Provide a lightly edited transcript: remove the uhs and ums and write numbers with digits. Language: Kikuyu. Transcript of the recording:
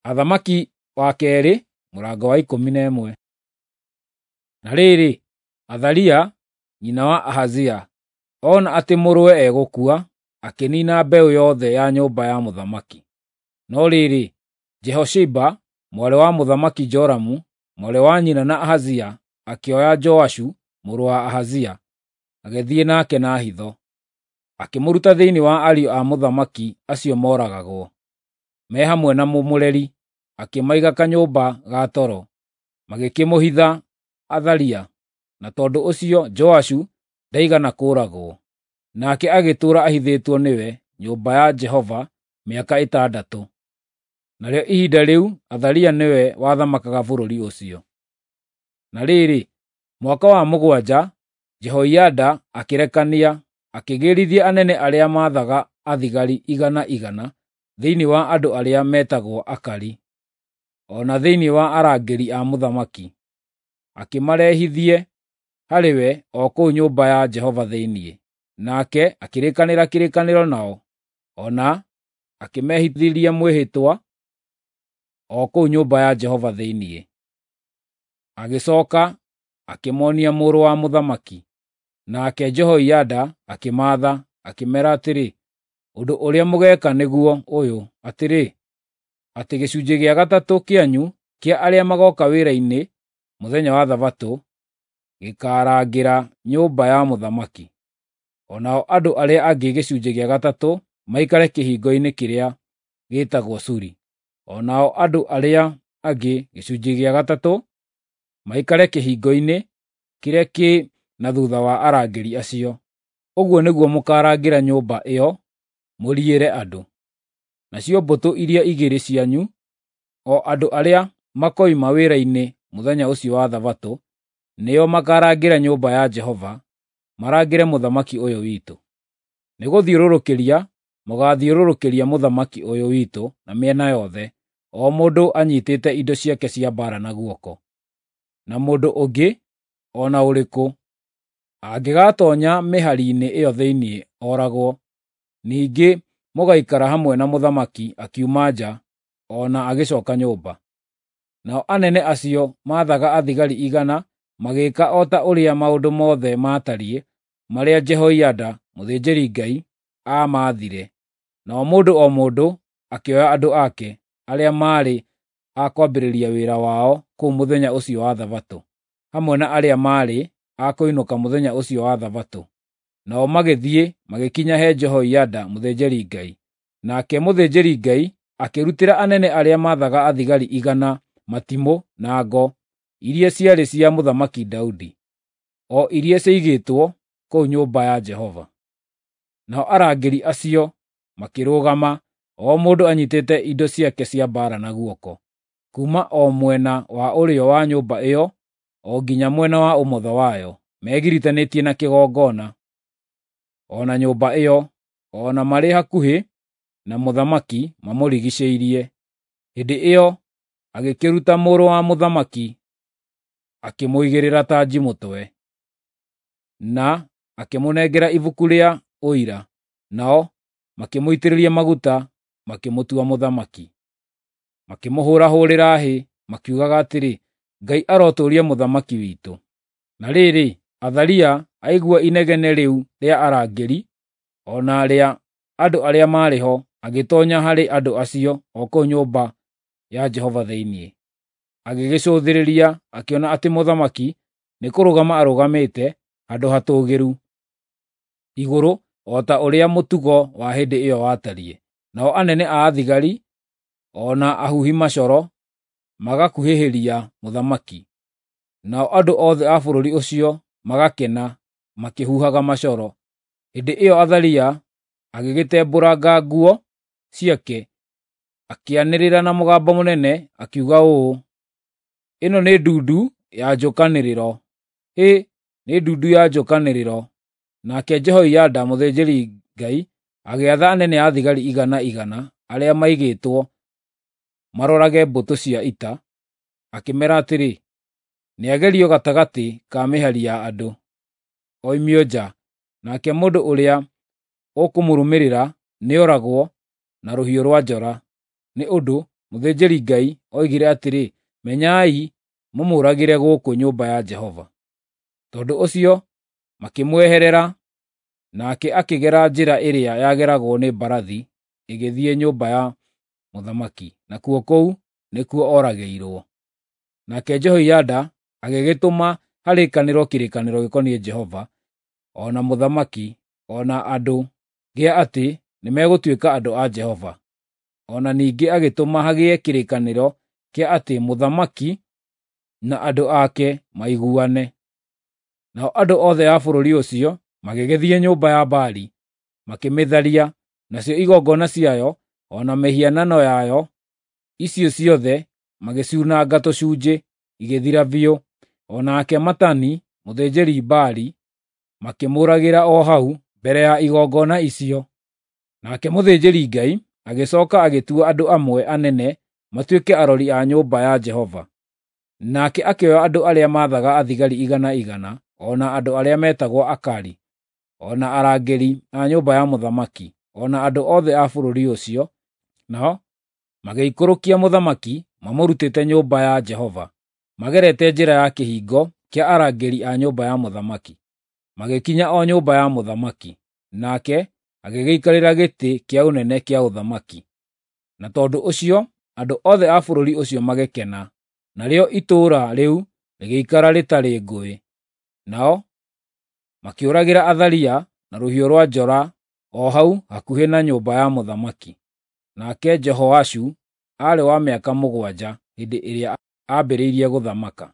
Athamaki wa kerĩ mũrango wa 11. Na rĩrĩ, Athalia nyina wa Ahazia ona atĩ mũrũwe egũkua, akĩniina mbeũ yothe ya nyũmba ya mũthamaki. No rĩrĩ, Jehosheba, mwarĩ wa Mũthamaki Joramu, mwarĩ wa nyina na Ahazia, akĩoya Joashu mũrũ wa Ahazia, agĩthiĩ nake na hitho. Akĩmũruta thĩinĩ wa ariũ a mũthamaki acio mooragagwo, me hamwe na mũmũreri, akĩmaiga kanyũmba ga toro, magĩkĩmũhitha Athalia, na tondũ ũcio Joashu ndaigana kũũragwo. Nake agĩtũũra ahithĩtwo nĩwe nyũmba ya Jehova mĩaka 6. Narĩo ihinda rĩu Athalia nĩwe wathamakaga bũrũri ũcio. Na rĩrĩ, mwaka wa 7, Jehoiada akĩrekania, akĩgĩrithia anene arĩa maathaga athigari igana igana thĩinĩ wa andũ arĩa meetagwo Akari, o na thĩinĩ wa arangĩri a mũthamaki, akĩmarehithie harĩ we o kũu nyũmba ya Jehova thĩinĩ. Nake akĩrĩkanĩra kĩrĩkanĩro nao, o na akĩmehithĩria mwĩhĩtwa o kũu nyũmba ya Jehova thĩinĩ. Agĩcooka akĩmoonia mũrũ wa mũthamaki. Nake Jehoiada akĩmaatha, akĩmeera atĩrĩ, “Ũndũ ũrĩa mũgeeka nĩguo ũyũ, atĩrĩ, atĩ gĩcunjĩ gĩa gatatũ kĩanyu kĩa arĩa magooka wĩra-inĩ mũthenya wa Thabatũ gĩkaarangĩra nyũmba ya mũthamaki. O nao andũ arĩa angĩ gĩcunjĩ gĩa gatatũ maikare kĩhingo-inĩ kĩrĩa gĩĩtagwo Suri. O nao andũ arĩa angĩ gĩcunjĩ gĩa gatatũ maikare kĩhingo-inĩ kĩrĩa kĩ na thuutha wa arangĩri acio. Ũguo nĩguo mũkaarangĩra nyũmba ĩyo mũriĩre andũ. Nacio mbũtũ iria igĩrĩ cianyu, o andũ arĩa makoima wĩra-inĩ mũthenya ũcio wa Thabatũ, nĩo makaarangĩra nyũmba ya Jehova, marangĩre mũthamaki ũyũ witũ. Nĩgũthiũrũrũkĩria mũgaathiũrũrũkĩria mũthamaki ũyũ witũ na mĩena yothe, o mũndũ anyiitĩte indo ciake cia mbaara na guoko. Na mũndũ ũngĩ o na ũrĩkũ angĩgatoonya mĩhari-inĩ ĩyo thĩinĩ ooragwo. Ningĩ mũgaikara hamwe na mũthamaki akiuma nja o na agĩcooka nyũmba.” Nao anene acio maathaga athigari igana magĩĩka o ta ũrĩa maũndũ mothe maatariĩ marĩa Jehoiada mũthĩnjĩri-Ngai aamaathire. Nao mũndũ o mũndũ akĩoya andũ ake, arĩa maarĩ a kwambĩrĩria wĩra wao kũu mũthenya ũcio wa Thabatũ, hamwe na arĩa maarĩ a kũinũka mũthenya ũcio wa Thabatũ. Nao magĩthiĩ magĩkinya he Jehoiada mũthĩnjĩri-Ngai. Nake mũthĩnjĩri-Ngai akĩrutĩra anene arĩa maathaga athigari igana matimũ na ngo iria ciarĩ cia Mũthamaki Daudi, o iria ciaigĩtwo kũu nyũmba ya Jehova. Nao arangĩri acio makĩrũgama, o mũndũ anyiitĩte indo ciake cia mbaara na guoko, kuuma o mwena wa ũrĩo wa nyũmba ĩyo o nginya mwena wa ũmotho wayo, megiritanĩtie na kĩgongona, o na nyũmba ĩyo, o na marĩ hakuhĩ na mũthamaki mamũrigiicĩirie. Hĩndĩ ĩyo agĩkĩruta mũrũ wa mũthamaki akĩmũigĩrĩra tanji mũtwe, na akĩmũnengera ibuku rĩa Ũira, nao makĩmũitĩrĩria maguta makĩmũtua mũthamaki. Makĩmũhũũrahũũrĩra hĩ, makiugaga atĩrĩ, “Ngai arotũũria mũthamaki witũ.” Na rĩrĩ, Athalia aigua inegene rĩu rĩa arangĩri, o na rĩa andũ arĩa maarĩ ho, agĩtoonya harĩ andũ acio o kũu nyũmba ya Jehova thĩinĩ. Agĩgĩcũthĩrĩria akĩona atĩ mũthamaki nĩkũrũgama arũgamĩte handũ hatũũgĩru igũrũ o ta ũrĩa mũtugo wa hĩndĩ ĩyo watariĩ. Nao anene a athigari o na ahuhi macoro magakuhĩhĩria mũthamaki. Nao andũ othe a bũrũri ũcio magakena makĩhuhaga macoro. Hĩndĩ ĩyo Athalia agĩgĩtembũranga nguo ciake, akĩanĩrĩra na mũgambo mũnene, akiuga ũũ, “Ĩno nĩ ndundu ya njũkanĩrĩro! Hĩ, nĩ ndundu ya njũkanĩrĩro!” Nake Jehoiada mũthĩnjĩri-Ngai agĩatha anene a thigari igana igana arĩa maigĩtwo marorage mbũtũ cia ita, akĩmeera atĩrĩ, “Nĩagerio gatagatĩ ka mĩhari ya andũ, oimio nja, nake mũndũ ũrĩa ũkũmũrũmĩrĩra nĩoragwo na rũhiũ rwa njora.” Nĩ ũndũ mũthĩnjĩri-Ngai, oigire atĩrĩ, “Menyai mũmũũragĩre gũkũ nyũmba ya Jehova.” Tondũ ũcio makĩmweherera, nake akĩgera njĩra ĩrĩa yageragwo nĩ mbarathi ĩgĩthiĩ nyũmba ya mũthamaki, nakuo kũu nĩkuo oragĩirwo. Nake Jehoiada agĩgĩtũma harĩkanĩrwo kĩrĩkanĩro gĩkoniĩ Jehova, o na mũthamaki, o na andũ, gĩa atĩ nĩmegũtuĩka andũ a Jehova. O na ningĩ agĩtũma hagĩe kĩrĩkanĩro kĩa atĩ mũthamaki na andũ ake maiguane. Nao andũ othe a bũrũri ũcio magĩgĩthiĩ nyũmba ya Baali, makĩmĩtharia, nacio igongona ciayo o na mĩhianano yayo icio ciothe magĩciunanga tũcunjĩ, igĩthira biũ. O nake Matani, mũthĩnjĩri-Baali, makĩmũũragĩra o hau mbere ya igongona icio. Nake mũthĩnjĩri-Ngai agĩcooka agĩtua andũ amwe anene matuĩke arori a nyũmba ya Jehova. Nake akĩoya andũ arĩa maathaga athigari igana igana, o na andũ arĩa meetagwo Akari, o na arangĩri a nyũmba ya mũthamaki, o na andũ othe a bũrũri ũcio, nao magĩikũrũkia mũthamaki mamũrutĩte nyũmba ya Jehova, magerete njĩra ya kĩhingo kĩa arangĩri a nyũmba ya mũthamaki, magĩkinya o nyũmba ya mũthamaki. Nake agĩgĩikarĩra gĩtĩ kĩa ũnene kĩa ũthamaki. Na tondũ ũcio andũ othe a bũrũri ũcio magĩkena, narĩo itũũra rĩu rĩgĩikara rĩtarĩ ngũĩ. Nao makĩũragĩra Athalia na rũhiũ rwa njora o hau hakuhĩ na nyũmba ya mũthamaki. Nake Jehoashu aarĩ wa mĩaka 7 hĩndĩ ĩrĩa aambĩrĩirie gũthamaka.